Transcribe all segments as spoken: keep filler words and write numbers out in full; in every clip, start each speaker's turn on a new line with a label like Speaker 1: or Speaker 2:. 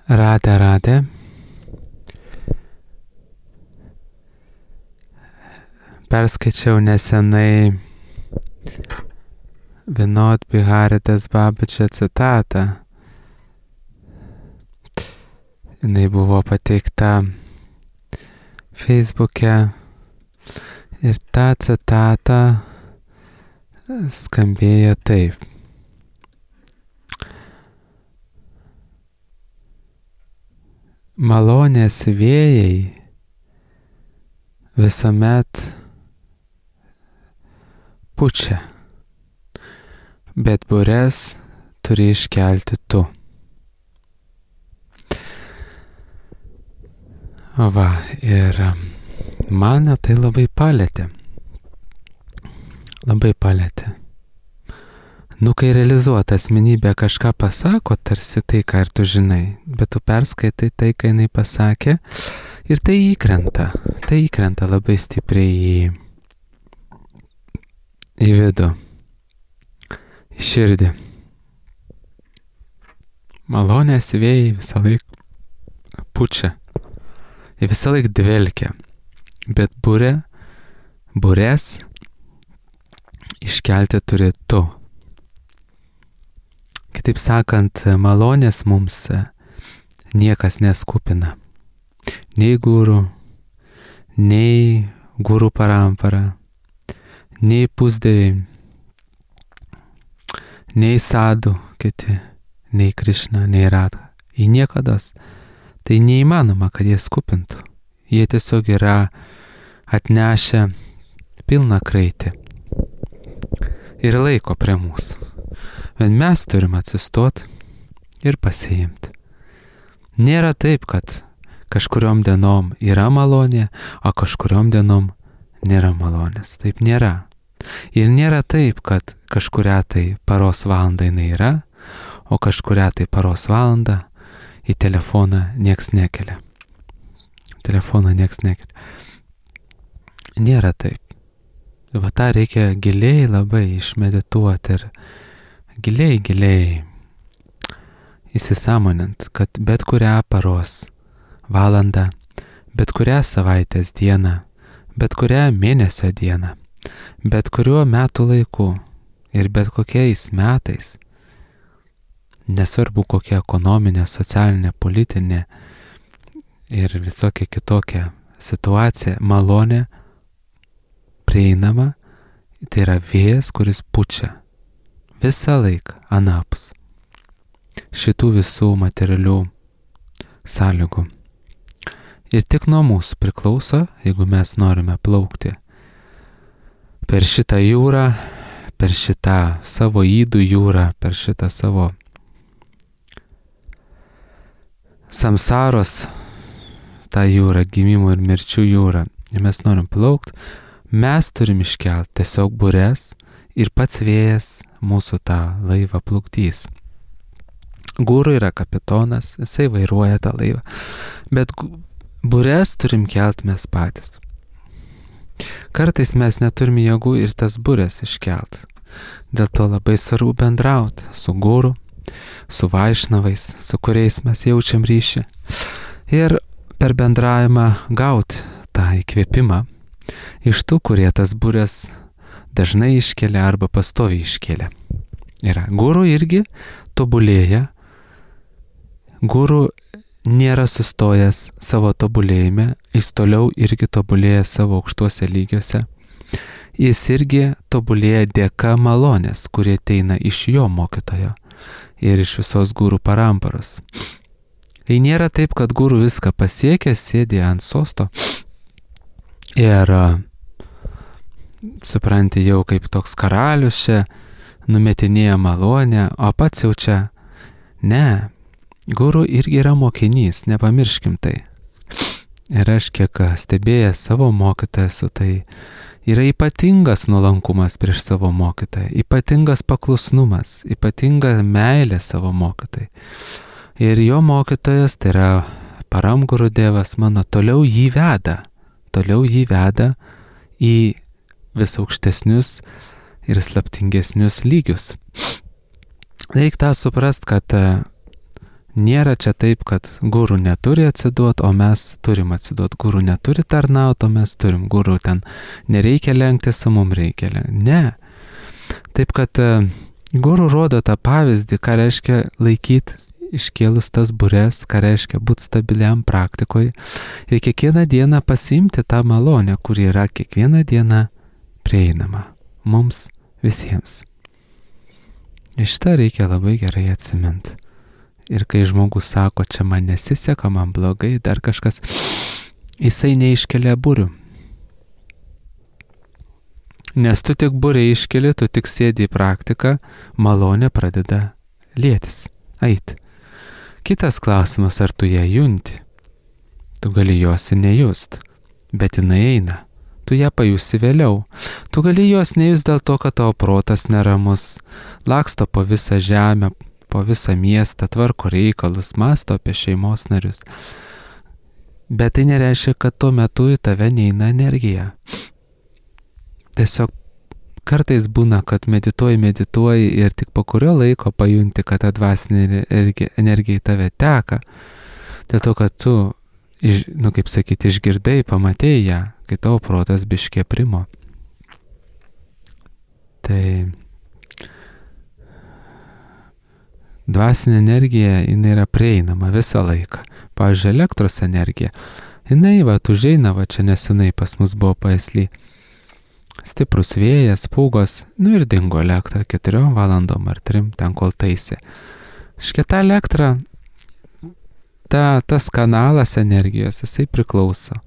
Speaker 1: Radė, radė. Perskaičiau nesenai Vinod Biharitės Babačio citatą. Jinai buvo pateikta Facebook'e ir ta citata skambėjo taip. Malonės vėjai visuomet pučia, bet bures turi iškelti tu. Va, ir mane tai labai palėtė. Labai palėtė. Nu, kai realizuota asmenybė kažką pasako, tarsi tai, ką ir tu žinai, bet tu perskaitai tai, ką jinai pasakė, ir tai įkrenta. Tai įkrenta labai stipriai į, į vidų, į širdį. Malonės vėjai visą laiką pučia, jie visą laiką dvelkia, bet burė, burės iškelti turi tu. Kitaip sakant, malonės mums niekas neskupina. Nei gurų, nei gurų parampara, nei pusdieviai, nei sadų kiti, nei Krišna, nei Radha. Į niekados. Tai neįmanoma, kad jie skupintų. Jie tiesiog yra atnešę pilną kraitį ir laiko prie mūsų. Bet mes turim atsistot ir pasiimti. Nėra taip, kad kažkuriom dienom yra malonė, o kažkuriom dienom nėra malonės. Taip nėra. Ir nėra taip, kad kažkuria tai paros valandą jinai yra, o kažkuria tai paros valandą į telefoną nieks nekelia. Telefoną nieks nekelia. Nėra taip. Va tą reikia giliai labai išmedituoti ir giliai, giliai įsisąmonint, kad bet kurią paros valandą, bet kurią savaitės dieną, bet kurią mėnesio dieną, bet kuriuo metų laiku ir bet kokiais metais, nesvarbu kokia ekonominė, socialinė, politinė ir visokia kitokia situacija, malonė prieinama, tai yra vėjas, kuris pučia visą laiką anapus šitų visų materialių sąlygų. Ir tik nuo mūsų priklauso, jeigu mes norime plaukti per šitą jūrą, per šitą savo ydų jūrą, per šitą savo samsaros, tą jūrą, gimimų ir mirčių jūrą. Ir mes norim plaukti, mes turim iškelti tiesiog bures ir pats vėjas mūsų tą laivą plukdys. Guru yra kapitonas, jisai vairuoja tą laivą, bet bures turim kelt mes patys. Kartais mes neturim jėgų ir tas bures iškelt. Dėl to labai svarbu bendrauti su guru, su vaišnavais, su kuriais mes jaučiam ryšį. Ir per bendravimą gauti tą įkvėpimą iš tų, kurie tas bures dažnai iškelia arba pastoviai iškelia. Yra. Guru irgi tobulėja. Guru nėra sustojęs savo tobulėjime, jis toliau irgi tobulėja savo aukštuose lygiuose. Jis irgi tobulėja dėka malonės, kurie ateina iš jo mokytojo ir iš visos guru paramparos. Tai nėra taip, kad guru viską pasiekė, sėdė ant sosto ir supranti jau kaip toks karalius čia numetinėja malonę, o pats jau čia. Ne, guru irgi yra mokinys, nepamirškim tai. Ir aš kiek stebėjęs savo mokytoją su tai, yra ypatingas nuolankumas prieš savo mokytoją, ypatingas paklusnumas, ypatinga meilė savo mokytojai. Ir jo mokytojas, tai yra Paramguru Dievas mano, toliau jį veda, toliau jį veda į vis aukštesnius ir slaptingesnius lygius. Reikia tą suprast, kad Nėra čia taip, kad guru neturi atsiduoti, o mes turim atsiduoti. Guru neturi tarnauti, o mes turim. Guru ten nereikia lenktis, o mums reikia lenktis. Ne. Taip, kad guru rodo tą pavyzdį, ką reiškia laikyti iškėlus tas bures, ką reiškia būti stabiliam praktikoje ir kiekvieną dieną pasiimti tą malonę, kuri yra kiekvieną dieną prieinama mums visiems. Iš tą reikia labai gerai atsiminti. Ir kai žmogus sako, čia man nesiseka, man blogai, dar kažkas, jisai neiškelia burių. Nes tu tik būrį iškeli, tu tik sėdi į praktiką, malonė pradeda lietis, eit. Kitas klausimas, ar tu ją junti. Tu gali jos ir nejust, bet jinai eina. Tu ją pajusi vėliau. Tu gali jos nejust dėl to, kad tavo protas neramus, laksto po visą žemę, po visą miestą, tvarko reikalus, masto apie šeimos narius. Bet tai nereiškia, kad tuo metu į tave neina energija. Tiesiog kartais būna, kad medituoji, medituoji ir tik po kurio laiko pajunti, kad ta dvasinė energija į tave teka. Dėl to, kad tu, iš, nu kaip sakyti, išgirdai, pamatėjai ją, kai tavo protas biškė primo. Tai dvasinė energija, jinai yra prieinama visą laiką. Pavyzdžiui, elektros energija, jinai va, užeina, va, čia nesenai pas mus buvo paisly. Stiprus vėjas, pūgos, nu ir dingo elektra keturiom valandom ar trim, ten kol taisė. Škia ta elektra, ta, tas kanalas energijos, jisai priklauso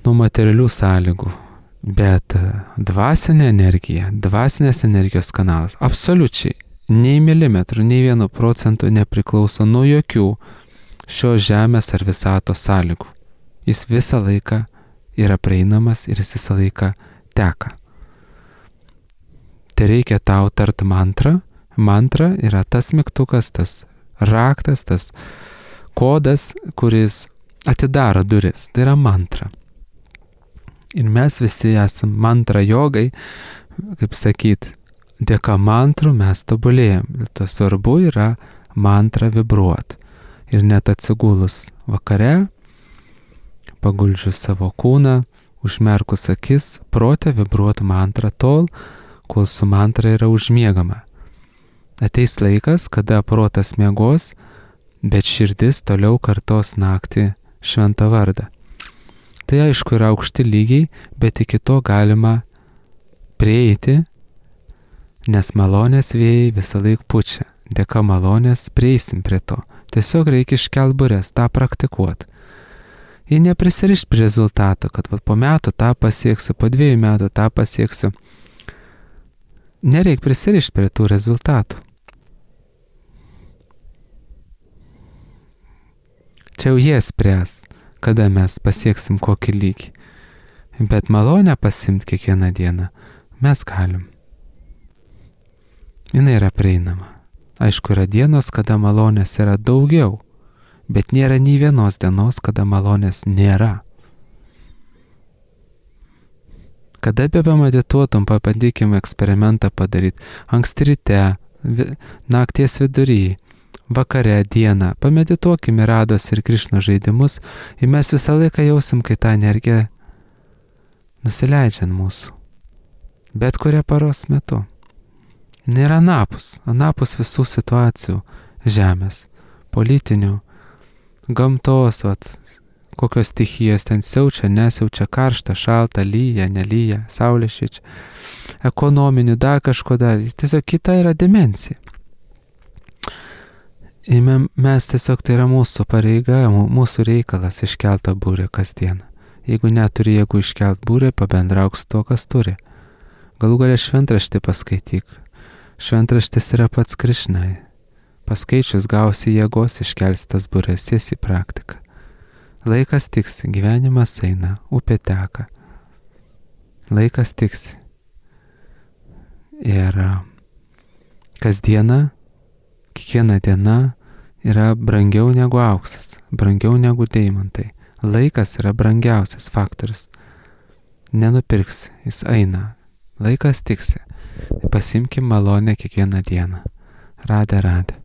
Speaker 1: nuo materialių sąlygų. Bet dvasinė energija, dvasinės energijos kanalas, absoliučiai, nei milimetrų, nei vienu procentu nepriklauso nuo jokių šios žemės ar visatos sąlygų. Jis visą laiką yra prieinamas ir jis visą laiką teka. Tai reikia tau tart mantrą. Mantra yra tas mygtukas, tas raktas, tas kodas, kuris atidaro duris. Tai yra mantra. Ir mes visi esam mantra jogai, kaip sakyt, dėka mantrų mes tobulėjam. To svarbu yra mantrą vibruot. Ir net atsigulus vakare, paguldžius savo kūną, užmerkus akis, protė vibruot mantrą tol, kol su mantra yra užmiegama. Ateis laikas, kada protas miegos, bet širdis toliau kartos naktį šventą vardą. Tai aišku yra aukšti lygiai, bet iki to galima prieiti, nes malonės vėjai visą laik pučia. Dėka malonės prieisim prie to. Tiesiog reikia iškelt bures, tą praktikuot. Ir neprisirišti prie rezultato, kad va, po metų tą pasieksiu, po dviejų metų tą pasieksiu. Nereik prisirišti prie tų rezultatų. Čia jau jie spręs, kada mes pasieksim kokį lygį. Bet malonę pasimti kiekvieną dieną mes galim. Jinai yra prieinama. Aišku, yra dienos, kada malonės yra daugiau, bet nėra nei vienos dienos, kada malonės nėra. Kada be pamedituotum, pabandykim eksperimentą padaryti. Anksti ryte, vi, nakties vidury, vakare, dieną. Pamedituokim į Rados ir Krišnos žaidimus ir mes visą laiką jausim, kai ta energija nusileidžia ant mūsų. Bet kuria paros metu. Nėra anapus, anapus visų situacijų žemės, politinių, gamtos, vat, kokios stichijos ten siaučia, nesiaučia, karšta, šalta, lyja, nelyja, saulė šviečia, ekonominių, dar kažko dar, tiesiog kita yra dimensija. Ir mes tiesiog tai yra mūsų pareiga, mūsų reikalas iškeltą būrį kasdieną. Jeigu neturi jėgų iškelt būrį, pabendrauk su to, kas turi. Galų galia šventraštį paskaityk. Šventraštis yra pats Krišnai. Paskaičius gausi jėgos, iškelsi tas būres, esi į praktiką. Laikas tiksi, gyvenimas eina, upė teka. Laikas tiksi. Ir kasdiena, kiekviena diena yra brangiau negu auksas, brangiau negu deimantai. Laikas yra brangiausias faktorius. Nenupirksi, jis eina. Laikas tiksi. Pasimkim malonę kiekvieną dieną. Radė, radė.